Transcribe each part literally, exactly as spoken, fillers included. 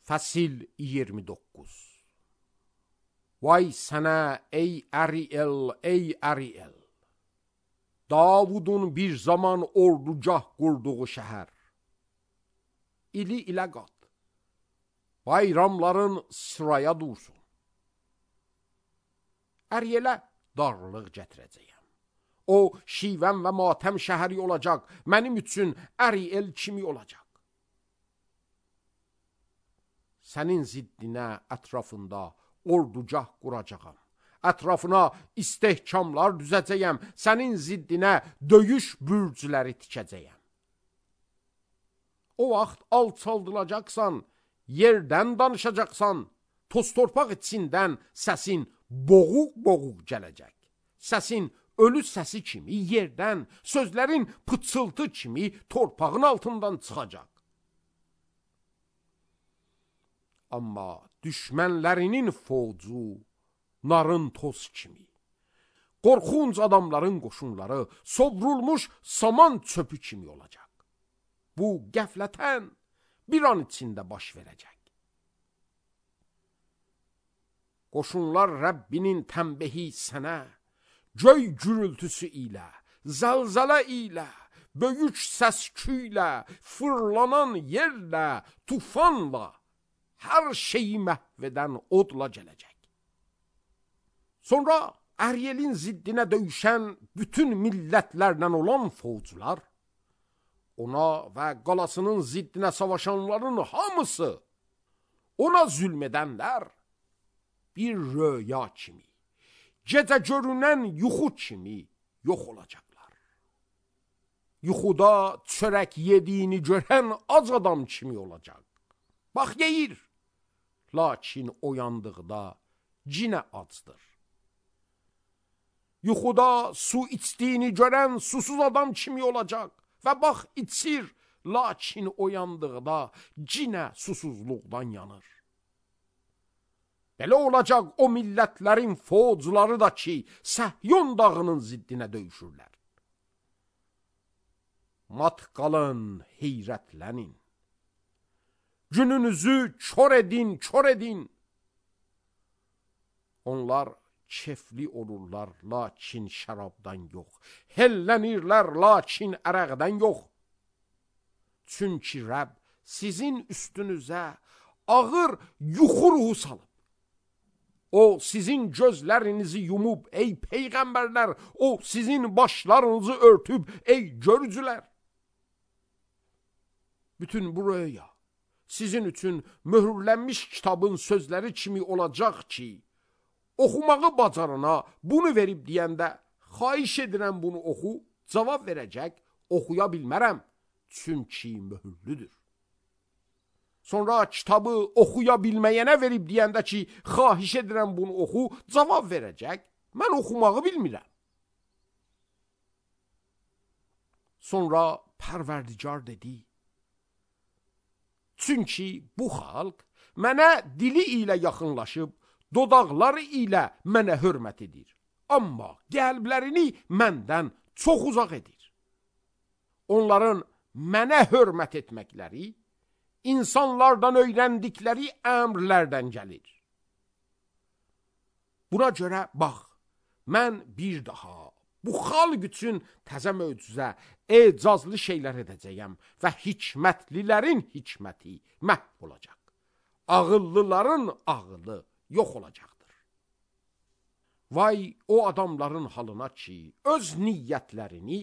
Fəsil iyirmi doqquz. Vay sənə ey Əriel, ey Əriel! Davudun bir zaman ordugah qurduğu şəhər. İli ilə qat, bayramların sıraya dursun. Ərielə darlıq gətirəcəyəm. O, şivən və matəm şəhəri olacaq, mənim üçün Əriel kimi olacaq. Sənin ziddinə ətrafında ordugah quracağam. Ətrafına istehkamlar düzəcəyəm. Sənin ziddinə döyüş bürcləri tikəcəyəm. O vaxt alçaldılacaqsan, yerdən danışacaqsan, toz torpaq içindən səsin boğuq-boğuq gələcək. Səsin ölü səsi kimi yerdən, sözlərin pıçıltı kimi torpağın altından çıxacaq. Amma düşmənlərinin fovcu narın toz kimi, qorxunc adamların qoşunları sovrulmuş saman çöpü kimi olacaq. Bu qəflətən bir an içində baş verəcək. Qoşunlar Rəbbinin tənbəhi sənə, göy gürültüsü ilə, zəlzələ ilə, böyük səsküylə, fırlanan yerlə, tufanla, hər şeyi məhv edən odla gələcək. Sonra Ərielin ziddinə döyüşən bütün millətlərlə olan fovcular, ona və qalasının ziddinə savaşanların hamısı, ona zülm edənlər, bir röya kimi, gecə görünən yuxu kimi yox olacaqlar. Yuxuda çörək yediyini görən ac adam kimi olacaq. Bax, yeyir, lakin oyandıqda cinə acdır. Yuxuda su içdiyini görən susuz adam kimi olacaq və bax, içir, lakin oyandıqda cinə susuzluqdan yanır. Belə olacaq o millətlərin fovcuları da ki, Səhyon dağının ziddinə döyüşürlər. Mat qalın, heyrətlənin. Gününüzü kör edin, kör edin. Onlar kefli olurlar, lakin şərabdan yox. Hellənirlər, lakin ərəqdən yox. Çünki Rəbb sizin üstünüzə ağır yuxu ruhu salıb. O sizin gözlərinizi yumub, ey peyğəmbərlər, o sizin başlarınızı örtüb, ey görücülər. Bütün bu röya sizin üçün möhürlənmiş kitabın sözləri kimi olacaq ki, oxumağı bacarana bunu verib deyəndə, xahiş edirəm bunu oxu, cavab verəcək, oxuya bilmərəm, çünki möhürlüdür. Sonra kitabı oxuya bilməyənə verib deyəndə ki, xahiş edirəm bunu oxu, cavab verəcək, mən oxumağı bilmirəm. Sonra Pərverdigar dedi, çünki bu xalq mənə dili ilə yaxınlaşıb, dodaqları ilə mənə hörmət edir. Amma qəlblərini məndən çox uzaq edir. Onların mənə hörmət etməkləri, insanlardan öyrəndikləri əmrlərdən gəlir. Buna görə bax, mən bir daha bu xalq üçün təzə möcüzə, ecazlı şeylər edəcəyəm və hikmətlilərin hikməti məhv olacaq. Ağıllıların ağılı yox olacaqdır. Vay o adamların halına ki, öz niyyətlərini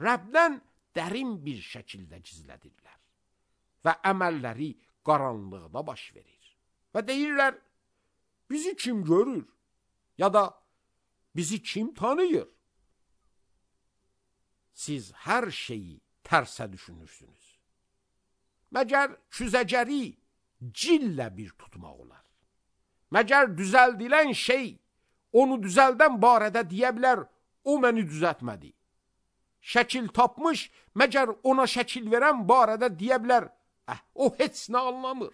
Rəbdən dərin bir şəkildə gizlədirlər və əməlləri qaranlıqda baş verir. Və deyirlər, bizi kim görür? Ya da bizi kim tanıyır? Siz hər şeyi tərsə düşünürsünüz. Məgər küzəcəri cillə bir tutmaq olar. Məgər düzəldilən şey, onu düzəldən barədə deyə bilər, o məni düzəltmədi. Şəkil tapmış, məgər ona şəkil verən barədə deyə bilər, əh, o heç nə anlamır.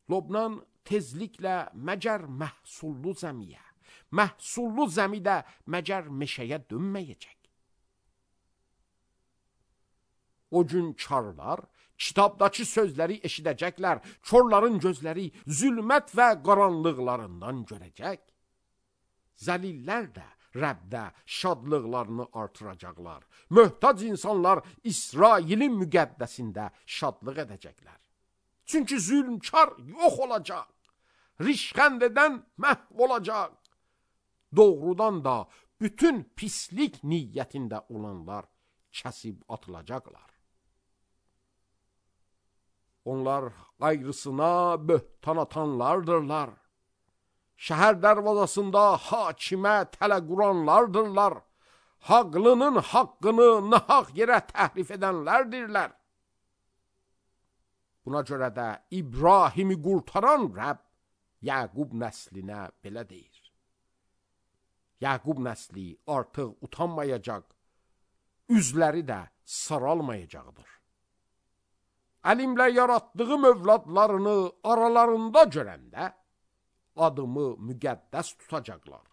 Lobnan tezliklə məgər məhsullu zəmiyə, məhsullu zəmidə məgər meşəyə dönməyəcək. O gün karlar Kitabdakı sözləri eşidəcəklər, körlərin gözləri zülmət və qaranlıqlarından görəcək. Zəlillər də Rəbdə şadlıqlarını artıracaqlar. Möhtac insanlar İsrailin müqəddəsində şadlıq edəcəklər. Çünki zülmkar yox olacaq, rişxənd edən məhv olacaq. Doğrudan da bütün pislik niyyətində olanlar kəsib atılacaqlar. Onlar ayrısına böhtan atanlardırlar. Şəhər dərvazasında hakimə tələ quranlardırlar. Haqlının haqqını nahaq yerə təhrif edənlərdirlər. Buna görə də İbrahimi qurtaran Rəbb Yaqub nəslinə belə deyir. Yaqub nəsli artıq utanmayacaq, üzləri də saralmayacaqdır. Əlimlə yaratdığım övladlarını aralarında görəndə adımı müqəddəs tutacaqlar.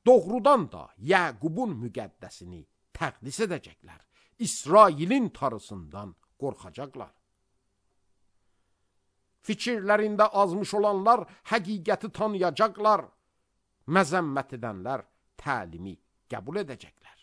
Doğrudan da Yaqubun müqəddəsini təqdis edəcəklər. İsrailin tarısından qorxacaqlar. Fikirlərində azmış olanlar həqiqəti tanıyacaqlar. Məzəmmət edənlər təlimi qəbul edəcəklər.